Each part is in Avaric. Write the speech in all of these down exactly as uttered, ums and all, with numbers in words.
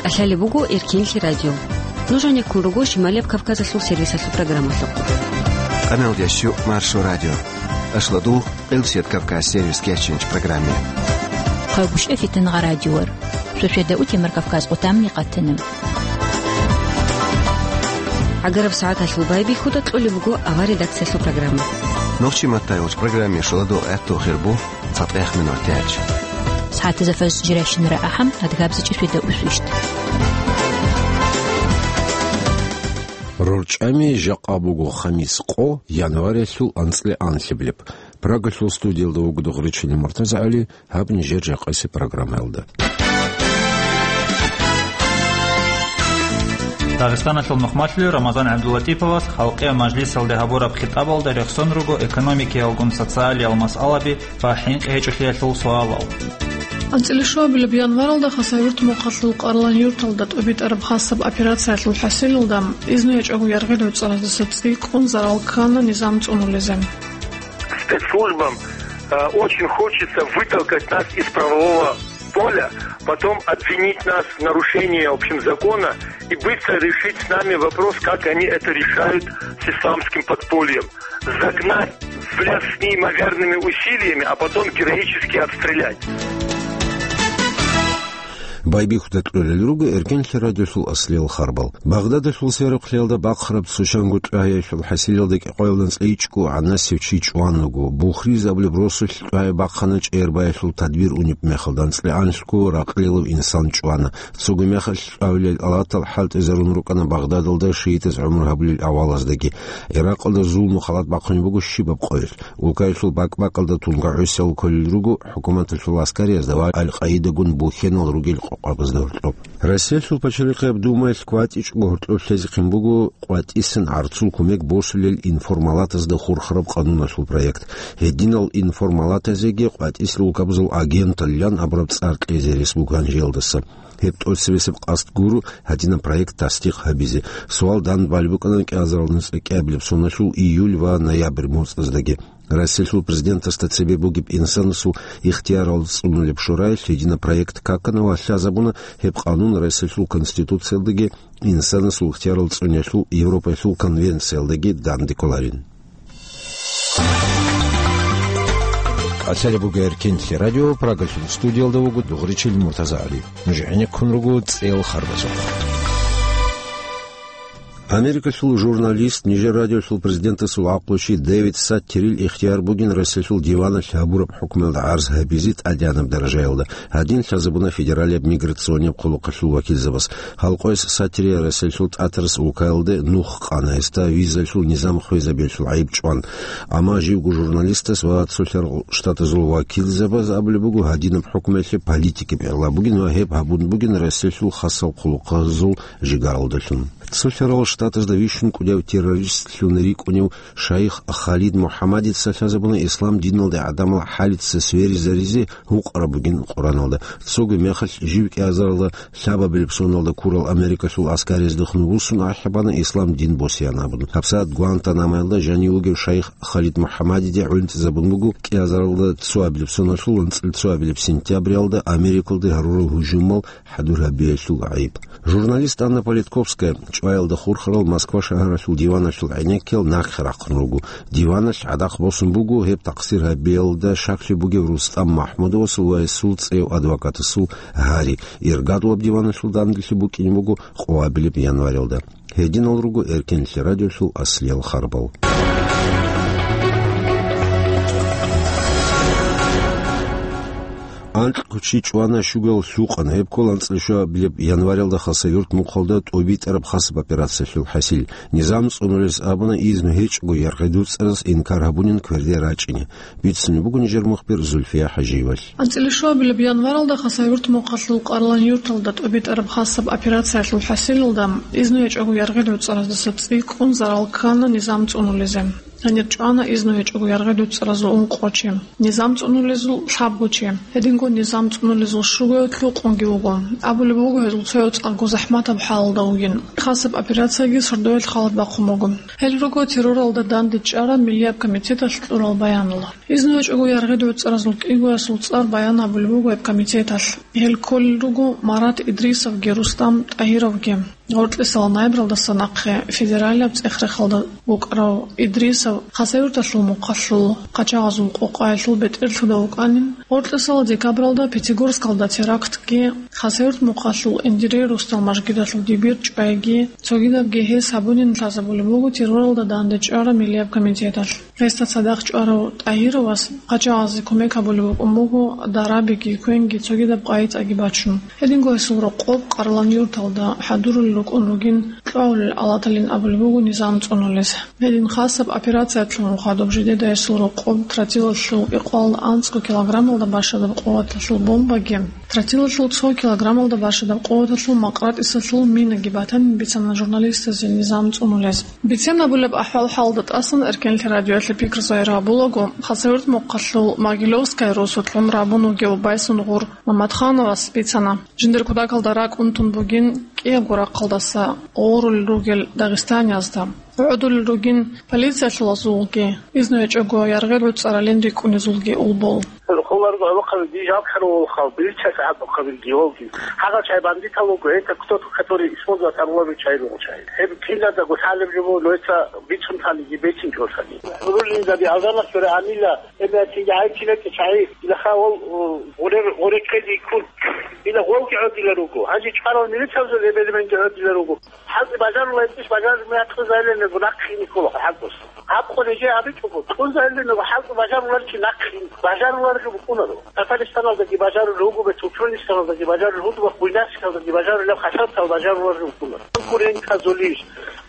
КӀалъалеб буго Эркенлъи радио. Нуж гьанеккун руго Шималияб Кавказалъул сервисалъул программалъухъ. Къамел ящу Маршо радио. Ашладул Къилсият Кавказ сервис кечинч программе. Хъагушев Фитнагъа радиор. Шошеда утемар Кавказ къутамни къатана. ГӀагараб сагӀаталъул байбихьуда кьолеб буго авар редакциялъул программа. Нохчи маттай уч программе шоладо этту хирбу. ЦатӀех минут тяч. СагӀатазда фарз жирайщинара ахӀам, адгабзичӀи шведа усвищт. РорчӀами жакъа буго хамис къо, январялъул анцӀила анлъабилеб. Прагалъул студиялда вуго Дугъричилин МуртазагӀали, гьаб нижер жакъаси программаялда. Дагъистаналъул мухъмалъулев Рамазан ГӀабдуллатиповас Халкъиял мажлисалде гьабураб хитӀабалда рехсон руго экономикиялгун социалиял масъалаби ва хӀинкъи гьечӀолъиялъул суалал. АнцӀила щуабилеб январалда Хасавюрт мухъалъул Къарлан юрталда тӀубитӀараб хасаб операциялъул хӀасилалда изну гьечӀого яргъи-доцӀараздаса цӀикӀкӀун зарал ккана низам цӀунулезе. Спецслужбам, э, очень хочется вытолкать нас из правового поля, потом обвинить нас в нарушении, в общем, закона и быстро решить с нами вопрос, как они это решают с исламским подпольем. Загнать в лес с неимоверными усилиями, а потом героически обстрелять. Байбихьуда кьолел руго Эркенлъи радиолъул аслиял харбал. Багъдадалъул сверухълъиялда бахъараб цо чанго тӀугӀаялъул хӀасилалда кӀикъоялда анцӀила ичӀго гӀанасев чи чӀван вуго. Бухриз абулеб росулъ тӀугӀай бахъана чӀербаялъул тадбир унеб мехалда, анцӀила анлъго ракълилав инсан чӀвана. Цоги мехалъ тӀугӀавилел алатал хӀалтӀизарун рукӀана Багъдадалда шиитаз гӀумру гьабулел авалаздаги. Иракъалда зулму халат бахъунеб буго щибаб къоялъ. Улкаялъул бакӀ-бакӀалда тунга гӀусал кколел руго хӀукуматалъул аскариязда ва Аль-Къаидагун бухьенал ругел къокъабазда гьоркьоб. Россиялъул Пачалихъияб Думаялъ кватӀичӀого гьоркьоб лъезехъин буго къватӀисан гӀарцул кумек босулел информалатазда хурхараб къануналъул проект. Гьединал информалатазеги къватӀисел улкабазул агенталилан абураб цӀар кьезе рес буго гьанжеялдаса. Гьеб тӀоцебесеб къасд гуро гьадинаб проект тасдикъ гьабизе. Суал дандбалеб букӀана кӀиазарал нуцӀа кӀиабилеб соналъул июль ва ноябрь моцӀаздаги. Россиялъул президентасда цебе бугеб инсанасул ихтиярал цӀунулеб шораялъ гьединаб проект какана ва лъазабуна гьеб къанун Россиялъул Конституциялдаги инсанасул ихтиярал цӀуниялъул Европаялъул конвенциялдаги данде кколарин. КӀалъалеб буго Эркенлъи радио, Прагалъул студиялда вуго Дугъричил МуртазагӀали. Нуж гӀенеккун руго цӀел харбазухъ. Америкалъул журналист, нижер радиолъул президентасул гӀакълучи Дэвид Саттирил ихтияр бугин Россиялъул диваналъ гьабураб хӀукмуялда гӀарз гьабизе тӀадегӀанаб даражаялда. Гьадин лъазабуна федералияб миграционияб хъулухъалъул вакилзабаз. Гьалкъояс Саттирие Россиялъул тӀатарас улкаялде нух къана, гьесда визалъул низам хвезабиялъул гӀайиб чӀван. Амма живго журналистас ва цолъарал штатазул вакилзабаз абулеб буго, гьадинаб хӀукмуялъе политикияб гӀилла бугин ва гьеб гьабун бугин Россиялъул хасал хъулухъазул жигаралдалъун. Цолъарал штатазда вищун кӀудияв террористлъун рикӀкӀунев шайх Халид МухӀаммадица лъазабуна ислам диналде гӀадамал хӀалица сверизаризе гьукъараб бугин Къураналда. Цоги мехалъ жив кӀиазаралда лъабабилеб соналда ккурал Америкалъул аскариязда хнубуссун ахӀи бана ислам дин босеян абун. ГьабсагӀат Гуантанамоялда жанив вугев шайх Халид МухӀаммадиде гӀунтӀизабун буго кӀиазаралда цоабилеб соналъул анцӀила цоабилеб сентябралда Америкалде гьарурал гьужумал хӀадур гьабиялъул гӀайиб. Журналист Анна Политковская чӀваялда хурхарал Москва шагьаралъул диваналъул гӀенеккел нахъе рахъун руго. Диваналъ гӀадахъ босун буго гьеб такъсир гьабиялда щаклъи бугев Рустам МахӀмудовасул ва гьесул цӀев адвокатасул гьари. Иргадулаб диваналъул данделъи букӀине буго къоабилеб январалда. Гьединал руго Эркенлъи радиолъул аслиял харбал. Анкь кучи чӀвана, щугал лъукъана. Гьеб ккола анцӀила щуабилеб январалда Хасавюрт мухъалда тӀубитӀараб хасаб операциялъул хӀасил. Низам цӀунулес абуна изну гьечӀого яргъи-дуцӀарас инкар гьабунин кверде рачӀине. Бицунеб буго нижер мухбир Зульфия ХӀажиевалъ. АнцӀила щуабилеб январалда Хасавюрт мухъалъул Къарлан юрталда тӀубитӀараб хасаб операциялъул хӀасилалда изну гьечӀого яргъи-дуцӀараздаса цӀикӀкӀун зарал ккана низам цӀунулезе. Гьанир чӀвана изну гьечӀого яргъи дуцӀаразул ункъо чи, низам цӀунулезул лъабго чи. Гьединго низам цӀунулезул щугояв лъукъунги вуго. Абулеб буго, гьезул цояв цӀакъго захӀматаб хӀалалда вугин. Хасаб операцияги сордоялъ халат бахъун буго. Гьел руго терроралда дандечӀараб Миллияб комитеталъ кьурал баянал. Изну гьечӀого яргъи дуцӀаразул кӀигоясул цӀар баян гьабулеб буго гьеб комитеталъ. Гьел кколел руго Марат Идрисовги Рустам ТӀагьировги. Гъоркьисал наибралдаса нахъе федералияб цӀех-рехалда вукӀарав Идрисов Хасавюрталъул мухъалъул къачагъазул къокъаялъул бетӀерлъуда вукӀанин, гъоркьисал декабралда Пятигорскалда терактги, Хасавюрт мухъалъул Эндирей росдал мажгиталъул дибир чӀвайги, цогидабги гьес гьабунин лъазабулеб буго терроралда дандечӀараб Миллияб комитеталъ. Гьесда цадахъ чӀварав ТӀагьировас къачагъазе кумек гьабулеб букӀун буго дарабиги, квенги, цогидаб къайи-цӀаги бачун. Гьединго гьесул рокъоб Къарлан-Юрталда хӀадурулел рукӀун ругин, кьвагьулел алаталин абулеб буго низам цӀунулез. Гьедин хасаб операциялъул хадуб жидеда гьесул рокъоб тротилалъул кӀикъоялда анцӀго килограммалда бащадаб къуваталъул бомбаги, тротилалъул цо килограммалда бащадаб къуваталъул макъратӀисалъул минаги батанин бицана журналистазе низам цӀунулез. Бицен абулеб ахӀвал-хӀалда тӀасан Эркенлъи радиоялъе пикру загьир гьабулаго, Хасавюрт мухъалъул Могилевская росулъ гӀумру гьабун вугев Байсунгъур Мамадхановас бицана, жиндир кутакалда ракӀ унтун бугин кӀиябго рахъалдаса гъорулел ругел дагъистаниязда. ГӀодулел ругин полициялъулазулги, изну гьечӀого яргъи дуцӀаралин рикӀкӀунезулги улбул. Хуларго гӀолохъаби, дижал хъаравулхъал, бирча сагӀат бухъабилги волги. Гьагъал чай бандитал вуго, это кто-то, который использовать арулаби чай руго чай. Гьеб киназдаго лъалеб жо буго, но это бицун таниги, бецин кьолъани. Рулин заби алданах гьура амила, эбе атинги гьай кинеке чай, илаха вол, у, гъурер, гъуре кьеди кун. Ила гъолги гӀодила руго. Гьанже чӀварал милицалзул эбелменги гӀодила руго. ХӀалкъи бажарула гьечӀищ, бажарулеб мехалъ кьун загьирлъи нахъе ккола хӀалкъ. Гьаб къо нижее абичӀого, кьун загьирлъи хӀалкъ бажаруларчи нахъе бажаруларги букӀунаро. Татаристаналдаги бажарулел руго, Туркменистаналдаги бажарулел руго, Буйнакскалдаги бажарулел, Хасавюрталда бажаруларги букӀунаро. Конкурентазулищ,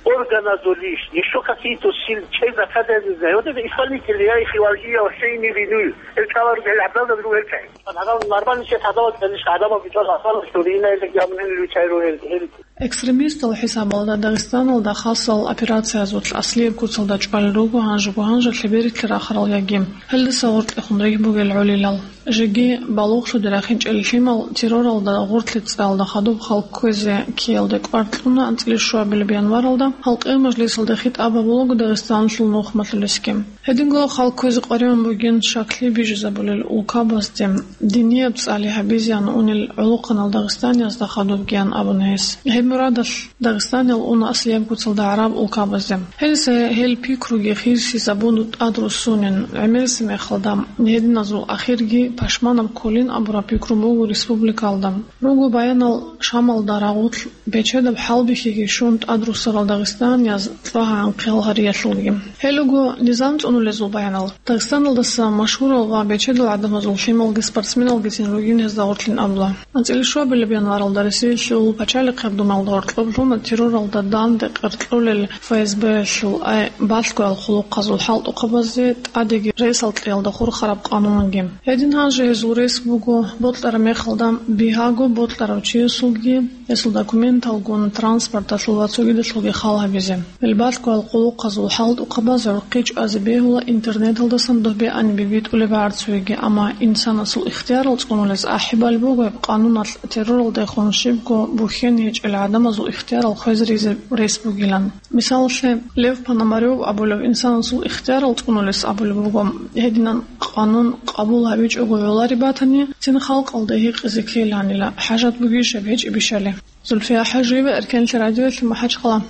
органазулищ, ещё какие-то сил, чей заказывает, не знаю. Вот это исполнители, я их уважаю, я вообще ими виную. Гьел чӀваларел гьел гӀадамазда руго гьел чагӀи. Гьанав нормальный чияс гьадаб кьелищ, гӀадамал бичӀвал гьасал, что рина гьел гьамун гьел вичайро гьел, гьел. Экстремистал хӀисабалда Дагъистаналда хасал операциязулъ аслияб куцалда чӀвалел руго гьанжего-гьанже лъеберилъи рахарал яги гьелдаса гъоркьехун ригь бугел гӀолилал. Жеги балугълъуде рахинчӀел лъимал терроралда гъорлъе цӀалда хадуб халкъ кквезе ккеялде кӀвар кьуна анцӀила щуабилеб январалда халкъиял мажлисалда хитӀаб гьабулаго Дагъистаналъул нухмалъулесги. Гьединго халкъ кквезе къваригӀун бугин шаклъи бижизабулел улкабазде, динияб цӀали гьабизеян унел гӀолохъанал дагъистаниязда хадубгиян абуна гьес. Гьеб мурадалъ Дагъистаниял уна аслияб куцалда гӀараб улкабазде. Гьелдаса гьел пикруги хирсизабун тӀадруссунин, гӀемерисеб мехалда, гьединазул ахирги пашманаб кколин абураб пикру буго республикалда. Руго баянал Шамалда рагъулъ бечедаб хӀалбихьиги щун тӀадруссарал дагъистанияз цӀа гьанхъел гьариялъулги. Гьел руго низам цӀунулезул баянал. Дагъистаналдаса машгьурал ва бечедал гӀадамазул лъималги спортсменалгицин ругин гьезда гъорлъин абула. АнцӀила щуабилеб январалда Россиялъул пачалихъеб Думалда гьоркьоб лъуна терроралда данде къеркьулел ФСБ-ялъул, ай, балъгоял хъулухъазул хӀалтӀухъабазде тӀадеги ресал кьеялда хурхараб къанунги. Гьедин гьанже гьезул рес буго бокьараб мехалда бигьаго бокьарав чиясулги, гьесул документалгун, транспорталъул ва цогидалъулги хал гьабизе. Гьел балъгоял хъулухъазул хӀалтӀухъабаз гӀурхъи чӀвазе бегьула интернеталдасан доб бегӀанибе битӀулеб гӀарцуеги, амма инсанасул ихтиярал цӀунулез ахӀи балеб буго гьеб къануналъ терроралдехун щибго бухьен гьечӀел гӀадамазул ихтиярал хвезаризе рес бугилан. Мисалалъе, Лев Пономарев абулев инсанасул ихтиярал цӀунулес абулеб буго, гьединан къанун къабул гьабичӀого гӀолареб батани, цин халкъалда гьикъизе ккеланила, хӀажат бугищ гьеб гьечӀебищали. Зульфия Хажиева, Эркенлъи радиоялъе, МахӀачхъала.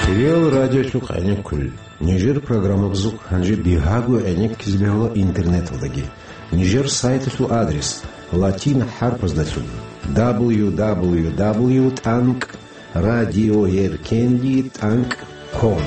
Кирил радиолъухъ гӀенеккулел. Нижер программабазухъ гьанже бигьаго гӀенеккизе бегьула интернеталдаги. Нижер сайталъул адрес латин хӀарпаздалъун: дабл ю дабл ю дабл ю тӀанкӀ радиоеркенлъи тӀанкӀ ком.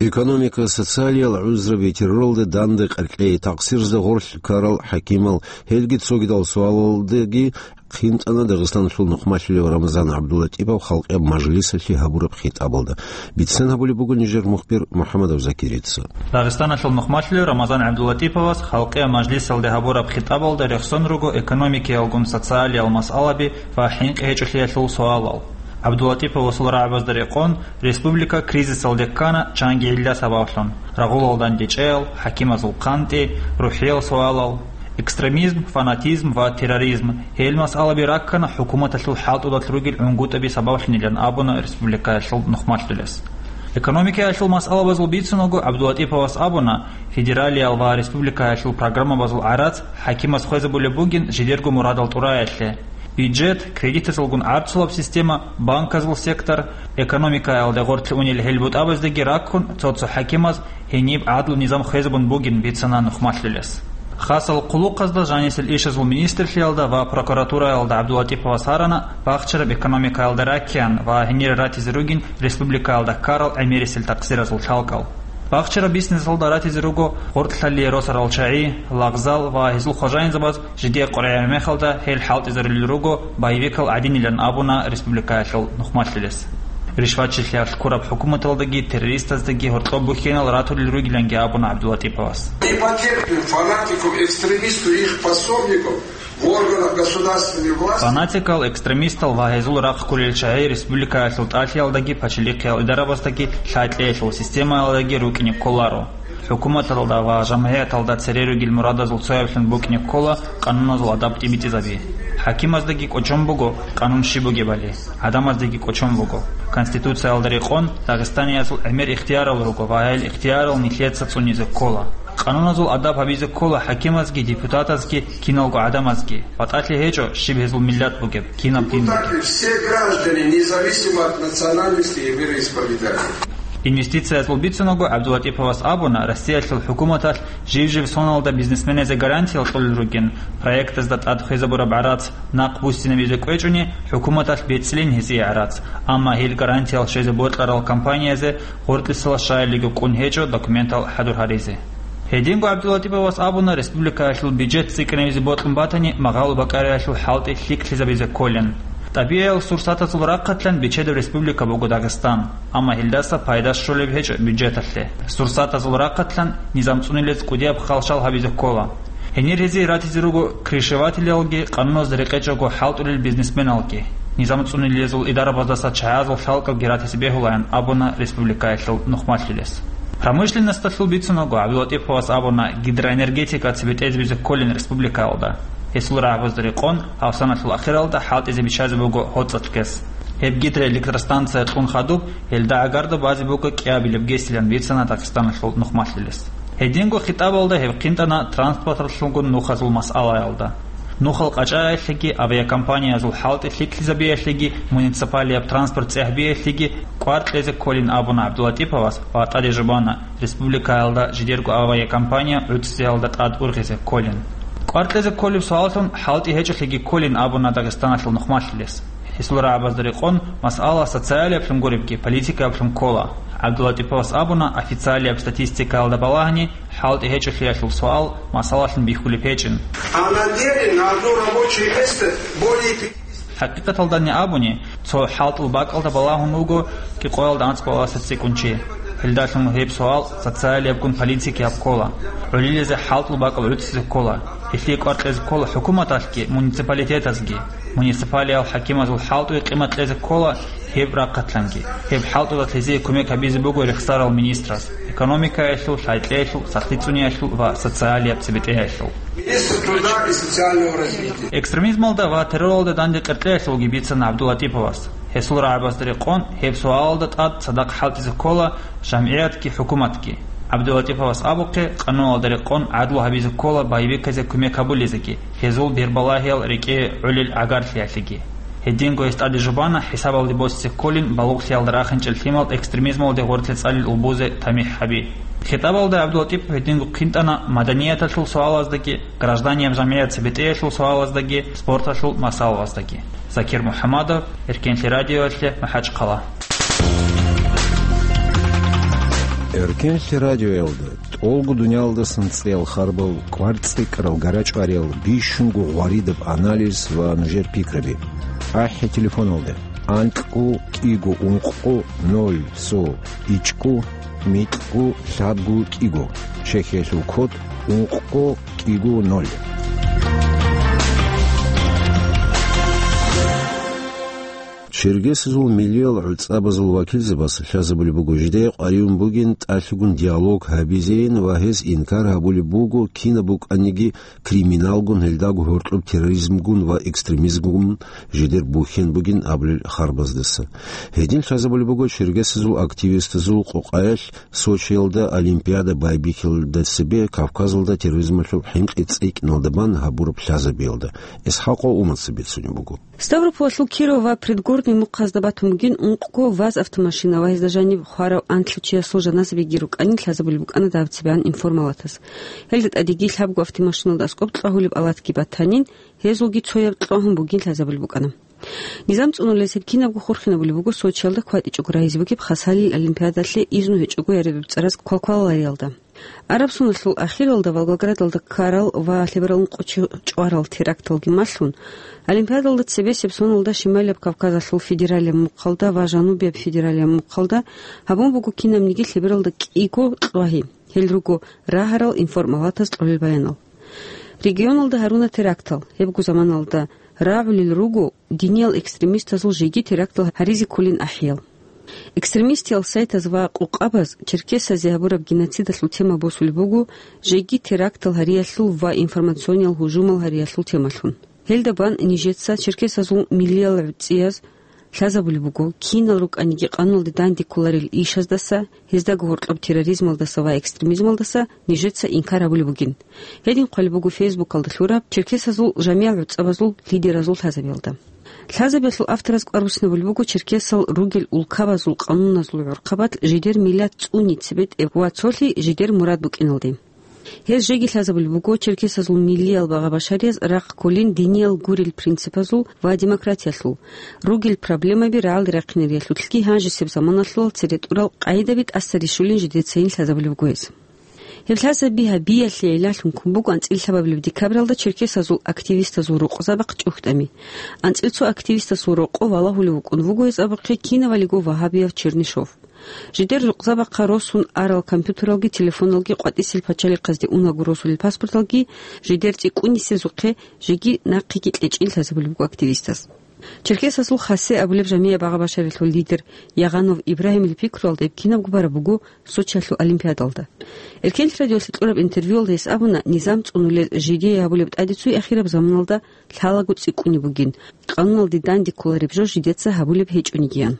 Экономика, социалиял гӀузраби, терроралда данде къеркьей, такъсирзда гъорлъ ккарал хӀакимал, гьелги цогидал суалалдаги хинтӀана Дагъистаналъул нухмалъулев Рамазан ГӀабдуллатӀипов халкъияб мажлисалъе гьабураб хитӀабалда. Бицен гьабулеб буго нижер мухбир МухӀаммадов Закирица. Дагъистаналъул нухмалъулев Рамазан ГӀабдуллатӀиповас халкъияб мажлисалде гьабураб хитӀабалда рехсон руго экономикиялгун социалиял масъалаби ва хӀинкъи гьечӀолъиялъул суалал. ГӀабдуллатӀиповасул рагӀабазда рекъон, республика кризисалде ккана чанги гӀилла сабаблъун: рагъулал дандечӀеял, хӀакимазул хъантӀи, рухӀиял суалал, экстремизм, фанатизм ва терроризм. Гьел масъалаби раккана хӀукуматалъул хӀалтӀудалъ ругел гӀунгутӀаби сабаблъунилан абуна республикаялъул нухмалъулес. Экономикаялъул масъалабазул бицунаго ГӀабдуллатӀиповас абуна, федералиял ва республикаялъул программабазул гӀарац хӀакимас хвезабулеб бугин жидерго мурадал тӀураялъе. Бюджет, кредитазулгун гӀарцулаб система, банказул сектор, экономикаялда гъорлъ унел гьел бутӀабаздаги раккун, цо-цо хӀакимаз гьениб гӀадлу низам хвезабун бугин бицана нухмалъулес. Хасал хъулухъазда, жанисел ишазул министрлъиялда ва прокуратураялда ГӀабдуллатӀиповас гьарана бахчараб экономикаялда раккеян ва гьенире ратизе ругин республикаялда ккарал гӀемерисел такъсиразул лъалкӀал. Бахчараб бизнесалда ратизе руго гъоркьлъалие росарал чагӀи, лагъзал ва гьезул хважаинзабаз жидее къваригӀараб мехалда гьел хӀалтӀизарулел руго боевикал гӀадинилан абуна республикаялъул нухмалъулес. Ришватчилъиялъ ккураб хӀукуматалдаги террористаздаги гьоркьоб бухьенал ратулел ругиланги абуна ГӀабдуллатӀиповас. И потерпим фанатиков, экстремистов и их пособников в органах государственной власти. Фанатикал, экстремистал ва гьезул рахъ кколел чагӀи республикаялъул тӀалъиялдаги пачалихъиял идарабаздаги лъай-кьеялъул системаялдаги рукӀине кколаро. ХӀукуматалда ва жамгӀияталда цере ругел мурадазул цояблъун букӀине ккола къануназул адаб тӀибитӀизаби. ХӀакимаздаги кӀочон буго къанун щиб бугебали, гӀадамаздаги кӀочон буго. Конституциялда рекъон, дагъистаниязул гӀемер ихтиярал руго ва гьел ихтиярал нилъеца цӀунизе ккола. Къануназул адаб гьабизе ккола хӀакимазги, депутатазги, киналго гӀадамазги. БатӀалъи гьечӀо, щиб гьезул миллат бугеб, кинаб дин бугеб. Депутаты, все граждане, независимо от национальности и вероисповедания. Инвестициязул бицунаго ГӀабдуллатӀиповас абуна, Россиялъул хӀукуматалъ жив-жив соналда бизнесменазе гарантиял кьолел ругин, проектазда тӀад хвезабураб гӀарац нахъ буссинабизе кӀвечӀони, хӀукуматалъ бецӀлъин гьезие гӀарац, амма гьел гарантиял щвезе бокьарал компаниязе гъоркьисала щаялиго кӀун гьечӀо документал хӀадур гьаризе. Гьединго ГӀабдуллатӀиповас абуна, республикаялъул бюджет цӀикӀкӀинабизе бокьун батани, магъало бакӀариялъул хӀалтӀи лъикӀлъизабизе кколин. ТӀабигӀиял сурсатазул рахъалъан бичедаб республика буго Дагъистан, амма гьелдаса пайда щолеб гьечӀо бюджеталъе. Сурсатазул рахъалъан низам цӀунулез кӀудияб халщал гьабизе ккола. Гьенир гьезие ратизе руго крышевателалги, къануназда рекъечӀого хӀалтӀулел бизнесменалги. Низам цӀунулезул идарабаздаса чагӀазул лъалкӀабги ратизе бегьулаян абуна республикаялъул нухмалъулес. Промышленносталъул бицунаго ГӀабдуллатӀиповас абуна, гидроэнергетика цебетӀезабизе кколин республикаялда. Гьесул рагӀабазда рекъон, гьав саналъул ахиралда хӀалтӀизе биччазе буго гьоцӀалъ гес. Гьеб гидроэлектростанция кьун хадуб, гьелда гӀагарда базе буго кӀиабилеб гесилан бицана Дагъистаналъул нухмалъулес. Гьединго хитӀабалда гьеб хъинтӀана транспортлъунгун нухазул масъалаялда. Нухал къачӀаялъеги, авиакомпаниязул хӀалтӀи лъикӀлъизабиялъеги, муниципалияб транспорт цӀехӀбиялъеги кӀвар кьезе кколин абуна ГӀабдуллатӀиповас ва тӀаде жубана, республикаялда жидерго авиакомпания гӀуцӀцӀиялда тӀад ургъизе кколин. КӀвар кьезе кколеб суаллъун хӀалтӀи гьечӀолъиги кколин абуна Дагъистаналъул нухмалъулес. Гьесул рагӀабазда рекъон, масъала социалиаблъун гуребги, политикаблъун ккола. ГӀабдуллатӀиповас абуна, официалияб статистикаялда балагьани, хӀалтӀи гьечӀолъиялъул суал масъалалъун бихьулеб гьечӀин. А на деле на одно рабочее место более пятидесяти. ХӀакъикъаталдани абуни, цо хӀалтӀул бакӀалда балагьун вуго кӀикъоялда анцӀ балагьалдаса цӀикӀкӀун чи. Гьелдалъун гьеб суал социалиябгун политикияб ккола. ГӀолилазе хӀалтӀул бакӀал гӀуцӀизе ккола. Гьелъие кӀвар кьезе ккола хӀукуматалъги, муниципалитетазги. Муниципалиял хӀакимазул хӀалтӀуе къимат кьезе ккола гьеб рахъалъанги. Гьеб хӀалтӀудалъ гьезие кумек гьабизе буго рехсарал министраз, экономикаялъул, лъай-кьеялъул, сахлъи цӀуниялъул ва социалияб цебетӀеялъул. Министр труда и социального развития. Экстремизмалда ва терроралда данде къеркьеялъулги бицана ГӀабдуллатӀиповас. Гьесул рагӀабазда рекъон, гьеб суалалда тӀад цадахъ хӀалтӀизе ккола жамгӀиятги хӀукуматги. ГӀабдуллатӀиповас абухъе, къануналда рекъон гӀадлу гьабизе ккола боевиказе кумек гьабулезеги, гьезул бербалагьиял рекӀее гӀолел гӀагарлъиялъеги. Гьединго гьес тӀаде жубана хӀисабалде босизе кколин балугълъиялда рахинчӀел лъимал экстремизмалде гъорлъе цӀалел улбузе тамихӀ гьаби. ХитӀабалда ГӀабдуллатӀипов гьединго хъинтӀана маданияталъул суалаздаги, гражданияб жамгӀият цебетӀеялъул суалаздаги, спорталъул масъалалаздаги. Закир МухӀаммадов, Эркенлъи радиоялъе, МахӀачхъала. Эркенлъи радиоялда тӀолго дуниялдасан цӀеял харбал, кӀвар-цӀикӀкӀарал, гарачӀвариял, бищунго гъваридаб анализ ва нужер пикраби. АхӀи телефоналда: анкьго кӀиго ункъго ноль цо ичӀго микьго лъабго кӀиго, чехьиялъул код ункъго кӀиго ноль. Чергесазул миллиял гӀуцӀабазул вакилзабаз лъазабулеб буго, жидее къваригӀун бугин тӀалъугун диалог гьабизейин ва гьез инкар гьабулеб буго, кинаб букӀаниги криминалгун, гьелдаго гьоркьоб терроризмгун ва экстремизмгун жидер бухьен бугин абулел харбаздаса. Гьедин лъазабулеб буго чергесазул активистазул къокъаялъ Сочиялда Олимпиада байбихьилда цебе Кавказалда терроризмалъул хӀинкъи цӀикӀкӀиналда бан гьабураб лъазабиялда. ИсхӀакъов Умаца бицунеб буго. Ставрополалъул Киров ва Предгорный мухъазда батун бугин ункъго ВАЗ автомашина ва гьезда жаниб хварав анлъго чиясул жаназабиги рукӀанин лъазабулеб букӀана дагьаб цебегӀан информалатаз. Гьелда тӀадеги лъабго автомашиналда аскӀоб кьвагьулеб алатги батанин, гьезулги цояб кьвагьун бугин лъазабулеб букӀана. Низам цӀунулез гьеб кинабго хурхинабулеб буго Сочиялда кватӀичӀого рагьизе бугеб Хасалил олимпиадалъе изну гьечӀого яраб цӀараз квалкваларалда. Араб соналъул ахиралда Волгоградалда ккарал ва лъеберал ункъо чи чӀварал теракталги малъун, Олимпиадалда цебесеб соналда Шималияб Кавказалъул федералияб мухъалда ва Жанубияб федералияб мухъалда гьабун буго кинабниги лъебералда кӀиго кьвагьи, гьел руго рагьарал информалатаз кьолел баянал. Регионалда гьаруна терактал, гьебго заманалда рагӀулел руго диниял экстремистазул жеги терактал гьаризе кколин ахӀиял. Экстремистиял сайтаз ва къокъабаз черкесазе гьабураб геноцидалъул тема босулеб буго жеги терактал гьариялъул ва информациониял гьужумал гьариялъул темалъун. Гьелда бан нижеца черкесазул миллиял гӀуцӀияз лъазабулеб буго, кинал рукӀаниги къануналде данде кколарел ишаздаса, гьездаго гьоркьоб терроризмалдаса ва экстремизмалдаса нижеца инкар гьабулеб бугин. Гьедин хъвалеб буго Фейсбукалда лъураб черкесазул жамиял гӀуцӀабазул лидеразул лъазабиялда. Лъазабиялъул автораз кӀвар буссинабулеб буго черкесал ругел улкабазул къануназул гӀурхъабалъ жидер миллат цӀуни цебетӀеб ва цолъи жидер мурад букӀиналде. Гьез жеги лъазабулеб буго черкесазул миллиял багъа-башарияз рахъ кколин диниял гурел принципазул ва демократиялъул, ругел проблемаби рагӀалде рахъинариялъулъги гьанжесеб заманалъул цере тӀурал къагӀидаби тӀаса рищулин жидецайин лъазабулеб буго гьез. Гьеб лъазаби гьабиялъе гӀиллалъун ккун буго анцӀила лъабабилеб декабралда черкесазул активистазул рокъозабахъ чӀухӀдами. АнцӀила цо активистасул рокъов валагьулев вукӀун вуго гьез абухъе кинавалиго вагьабияв Чернышов. Жидер рукъзабахъа росун арал компьютералги телефоналги къватӀисел пачалихъазде унаго росулел паспорталги жидер цӀикӀкӀунисезухъе жеги нахъеги кьечӀин лъазабулеб буго активистас. Черкесазул Хасе абулеб жамияб багъа-башарилъул лидер Ягъанов Ибрагьимил пикруялда гьеб кинабго бараб буго Сочиялъул олимпиадалда. Эркенлъи радиолъе кьураб интервьюялда гьес абуна, низам цӀунулел жидее гьабулеб тӀадецуй ахираб заманалда лъалаго цӀикӀкӀунеб бугин, къануналде данде кколареб жо жидеца гьабулеб гьечӀонигиян.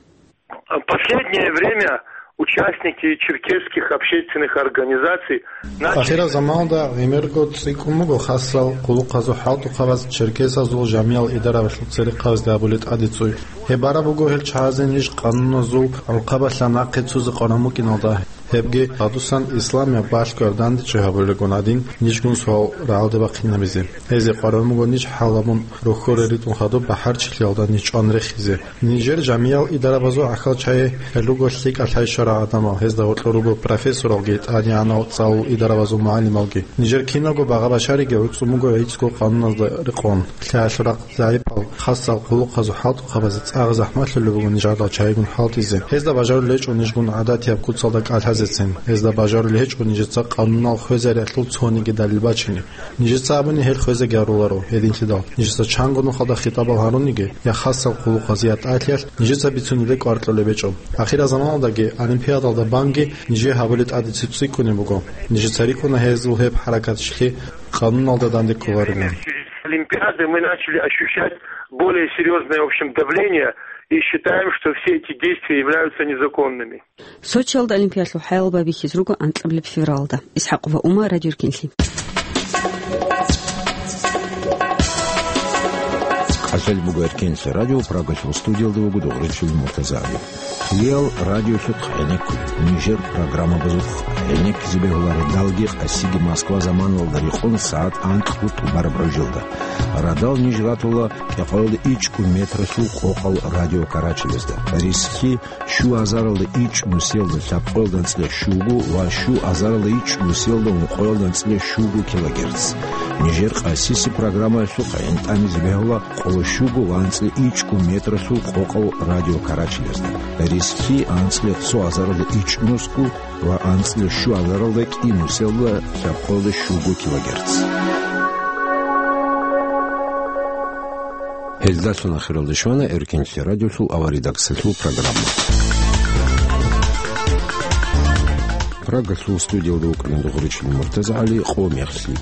Последнее время участники черкесских общественных организаций начали... Ахираб заманалда гӀемерго цӀикӀкӀун буго хасал хъулухъазул хӀалтӀухъабаз черкесазул жамиял идараялъул церехъабазде гьабулеб тӀадецуй. Гьеб бараб буго гьел чагӀазе ниж къануназул гӀурхъабалъа нахъе цузе къваран букӀиналда. Гьебги гьадусан исламияб балъгояб дандечӀей гьабулелгун гӀадин, нижгун суал рагӀалде бахъинабизе. Гьезие къваран буго ниж хӀалабун рохьоре ритӀун хадуб бахӀарчилъиялда ниж чӀван рехизе. Нижер жамиял идарабазул гӀахьал чагӀи гьел руго лъикӀал лъай щварал гӀадамал, гьезда гьоркьор руго профессоралги, тӀадегӀанал цӀалул идарабазул мугӀалималги. Нижер киналго багъа-башариги гӀуцӀун буго гӀицӀго къануназда рекъон. Лъаялъул рахъ загӀипал, хасал хъулухъазул хӀалтӀухъабазе цӀакъ захӀмалъулеб буго нижердал чагӀигун хӀалтӀизе. Гьезда бажарулеб гьечӀо нижгун гӀадатияб куцалда кӀалъазецин. Гьезда бажарулеб гьечӀо нижеца къанунал хвезариялъул цониги далил бачине. Нижеца абуни гьел хвезаги гьаруларо гьединлъидал. Нижеца чанго нухалда хитӀабал гьаруниги, я хасал хъулухъазе, я тӀалъиялъ, нижеца бицунеб кӀвар кьолеб гьечӀо. Ахираб заманалдаги, олимпиадалда банги нижее гьабулеб тӀадеци цӀикӀкӀунеб буго. Нижеца рикӀкӀуна гьезул гьеб хӀаракатчилъи къануналда данде кколарилан. С Олимпиады мы начали ощущать более серьёзное, в общем, давление и считаем, что все эти действия являются незаконными. Сочиялда олимпиялъул хӀаял байбихьизе руго анкьабилеб февралда. ИсхӀакъова Ума, Радио Эркенлъи. Цел буго Эркенлъи радио, Прагалъул студиялда вуго Дугъричил Муртазагьари. Кьиял радиолъухъ гӀенеккула, нижер программабазухъ гӀенеккизе бегьула радалги къасиги Москва заманалда рекъон сагӀат анкьго тӀубараб гӀужалда. Радал ниж ратула кӀикъоялда ичӀго метралъул къокъал радио карачелезда. Рисхьи щу азаралда ичӀ нусиялда лъабкъоялда анцӀила щуго ва щу азаралда ичӀ нусиялда ункъоялда анцӀила щуго килогерц. Нижер къасиси программаялъухъ гӀинтӀамизе бегьула къоло щуго ва анцӀила ичӀго метралъул къокъал радио карачелезда. Рисхьи анцӀила цо азаралда ичӀ нусго ва анцӀила щу азаралда кӀи нусиялда лъабкъоялда щуго килогерц. Гьелдалъун ахиралде щвана Эркенлъи радиолъул аваридаксалъул программа. Прагалъул студиялда вукӀана Дугъричил Муртазагьари, къо мехлъи.